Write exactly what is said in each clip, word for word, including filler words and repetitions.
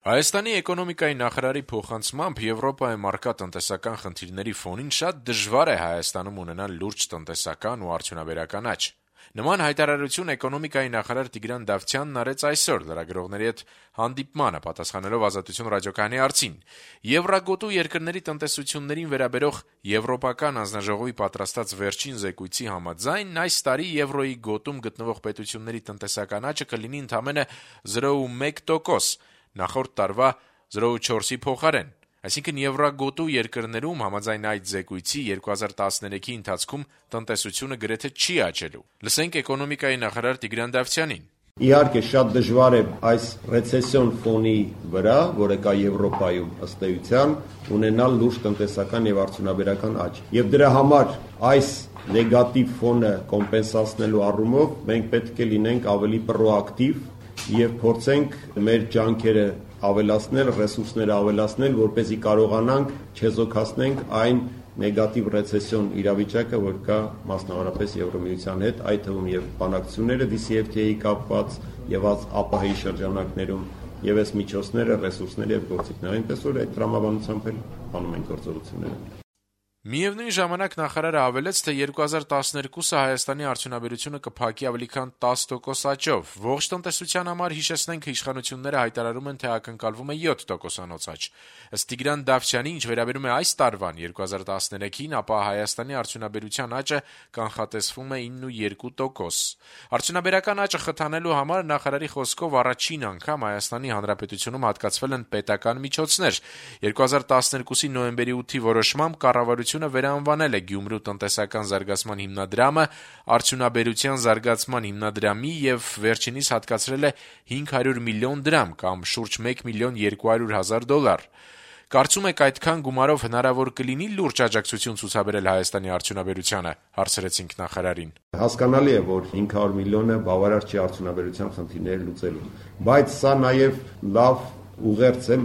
Հայաստանի էկոնոմիկայի նախարարի փոխանցմամբ Եվրոպայում առկա տնտեսական խնդիրների ֆոնին շատ դժվար է Հայաստանում ունենալ լուրջ տնտեսական ու արդյունաբերական աճ։ Նման հայտարարություն էկոնոմիկայի նախարար Տիգրան Դավթյանն արեց այսօր լրագրողների հետ հանդիպմանը, պատասխանելով Ազատություն ռադիոկայանի հարցին։ Եվրագոտու երկրների տնտեսություններին վերաբերող Եվրոպական հանձնաժողովի պատրաստած վերջին զեկույցի համաձայն այս տարի եվրոյի գոտում գտնվող պետությունների տնտեսական աճը կլինի ընդամենը զրո կողմը մեկ տոկոս, նախորդ տարվա զրո կողմը չորսի փոխարեն։ Այսինքն եվրագոտու երկրներում համաձայն այդ զեկույցի երկու հազար տասներեքի ընթացքում տնտեսությունը գրեթե չի աճելու։ Լսենք էկոնոմիկայի նախարար Տիգրան Դավթյանին։ Իհարկե շատ դժվար է այս ռեցեսիոն ֆոնի վրա, որը կա Եվրոպայում ըստ էության, ունենալ լուրջ տնտեսական եւ արդյունաբերական աճ։ Եվ դրա համար այս նեգատիվ ֆոնը կոմպենսացնելու առումով մենք պետք է լինենք ավելի պրոակտիվ եւ փորձենք մեր ջանքերը ավելացնել, ռեսուրսները ավելացնել, որպեսզի կարողանանք չեզոքացնենք այն նեգատիվ ռեցեսիոն իրավիճակը, որ կա մասնավորապես Եվրոմիության հետ, այդ թվում եւ բանակցությունները դի սի էֆ թի-ի կապված եւ ԱՊՀ-ի շրջանակներում եւ այս միջոցները, ռեսուրսները եւ գործիքները, այնպես որ այդ տրամաբանությամբ էլ անում են գործողությունները։ Միևնույն ժամանակ նախարարը հավելեց, թե երկու հազար տասներկուսը Հայաստանի արդյունաբերությունը կփակի ավելի քան տասը տոկոս աճով։ Ողջ տնտեսության համար հիշեցնենք, իշխանությունները հայտարարում են, թե ակնկալվում է յոթ տոկոսանոց աճ։ Ըստ Տիգրան Դավթյանի, ինչ վերաբերում է այս տարվան երկու հազար տասներեքին, ապա Հայաստանի արդյունաբերության աճը կանխատեսվում է ինը կողմը երկու տոկոս։ Արդյունաբերական աճը խթանելու համար նախարարի խոսքով առաջին անգամ Հայաստանի Հանրապետությունում հատկացվել են պետական միջոցներ։ երկու հազար տասներկուսի նոյեմբերի ութի որոշմամբ կառավարությունը վերանվանել է Գյումրու տնտեսական զարգացման հիմնադրամը արդյունաբերության զարգացման հիմնադրամի եւ վերջինիս հատկացրել է հինգ հարյուր միլիոն դրամ կամ շուրջ մեկ միլիոն երկու հարյուր հազար դոլար։ Կարծում եք այդքան գումարով հնարավոր կլինի լուրջ աջակցություն ցուցաբերել Հայաստանի արդյունաբերությանը, հարցրեցինք նախարարին։ Հասկանալի է, որ հինգ հարյուր միլիոնը բավարար չի արդյունաբերության խնդիրները լուծելու, բայց սա նաեւ լավ ուղերձ է,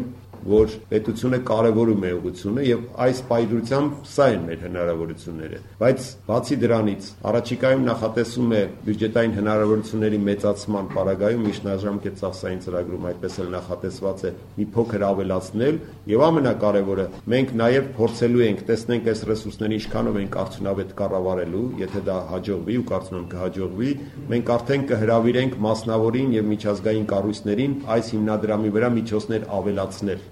որ պետությունը կարևորում է ուղղությունը եւ այս պայծրությամբ սա են մեր հնարավորությունները, բայց բացի դրանից առաջիկայում նախատեսում է բյուջետային հնարավորությունների մեծացման պարագայում միջնաժամկետ ծախսային ծրագրում այդպես էլ նախատեսված է մի փոքր ավելացնել եւ ամենակարևորը մենք նաեւ փորձելու ենք տեսնենք այս ռեսուրսների ինչքանով ենք արդյունավետ կառավարելու, եթե դա հաջողվի ու կարծում եմ կհաջողվի, մենք արդեն կհրավիրենք մասնավորին եւ միջազգային կառույցներին այս հիմնադրամի վրա միջոցներ ավելացնել։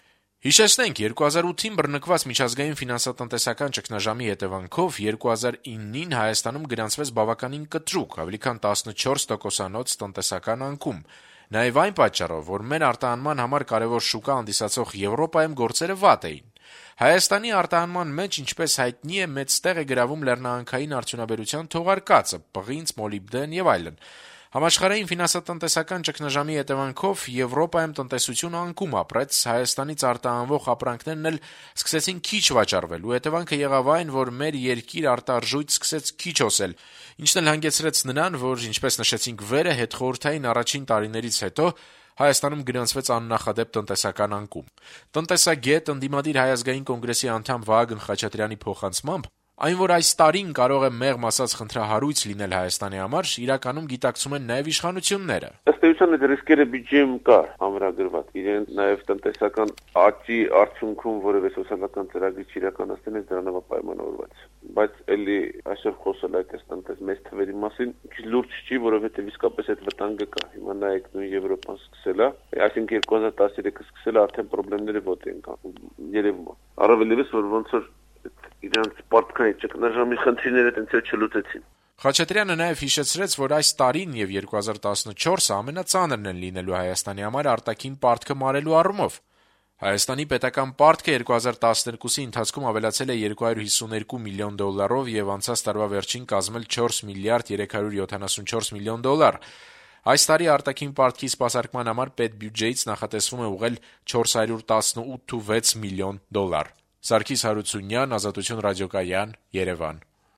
Հիշեցնենք, երկու հազար ութին բռնկված միջազգային ֆինանսատնտեսական ճգնաժամի հետևանքով երկու հազար իննին Հայաստանում գրանցվեց բավականին կտրուկ, ավելի քան տասնչորս տոկոսանոց տնտեսական անկում։ Նաև այն պատճառով, որ մեր արտահանման համար կարևոր շուկա հանդիսացող Եվրոպայում գործերը վատ էին։ Հայաստանի արտահանման մեջ, ինչպես հայտնի է, մեծ տեղ է գրավում լեռնահանքային արդյունաբերության թողարկածը, պղինձ, մոլիբդեն եւ այլն։ Համաշխարհային ֆինանսատնտեսական ճգնաժամի հետևանքով Եվրոպայում տնտեսությունը անկում ապրեց, Հայաստանից արտահանվող ապրանքներն էլ սկսեցին քիչ վաճառվել, ու հետևանքը եղավ այն, որ մեր երկիր արտարժույթ սկսեց քիչ օսել, ինչն էլ հանգեցրեց նրան, որ, ինչպես նշեցինք վերը, հետխորհրդային առաջին տարիներից հետո Հայաստանում գրանցվեց աննախադեպ տնտեսական անկում։ Տնտեսագետ, ընդդիմադիր Հայ ազգային կոնգրեսի անդամ Վահագն Խաչատրյանի փոխանցմամբ, այն, որ այս տարին կարող է մեղմ ասած խնդրահարույց լինել Հայաստանի համար, իրականում գիտակցում են նաև իշխանությունները։ Ըստ էության այդ ռիսկերը բյուջեում կա ամրագրված, իրեն նաև տնտեսական աճի արդյունքում որևէ սոցիալական ծրագրի չիրականացնելիս դրանով պայմանավորված։ Բայց էլի այսօր խոսել այդ տնտես մեծ թվերի մասին քիչ լուրջ չի, որովհետև իսկապես այդ վտանգը կա։ Հիմա նայեք նույն Եվրոպան սկսել է, այսինքն երկու հազար տասներեքը սկսել է արդեն խնդիրները ոտի են երևում։ Առավել ևս որ ոնց որ իրանց պարտքային ճգնաժամի խնդիրները տենց չլուծեցին։ Խաչատրյանը նաև հիշեցրեց, որ այս տարին եւ երկու հազար տասնչորսը ամենածանրն են լինելու Հայաստանի համար արտաքին պարտքը մարելու առումով։ Հայաստանի պետական պարտքը երկու հազար տասներկուսի ընթացքում ավելացել է երկու հարյուր հիսուներկու միլիոն դոլարով եւ անցած տարվա վերջին կազմել չորս միլիարդ երեք հարյուր յոթանասունչորս միլիոն դոլար։ Այս տարի արտաքին պարտքի սպասարկման համար պետբյուջեից նախատեսվում է ուղղել չորս հարյուր տասնութ վեց միլիոն դոլար։ Սարգիս Հարությունյան, Ազատություն ռադիոկայան, Երևան։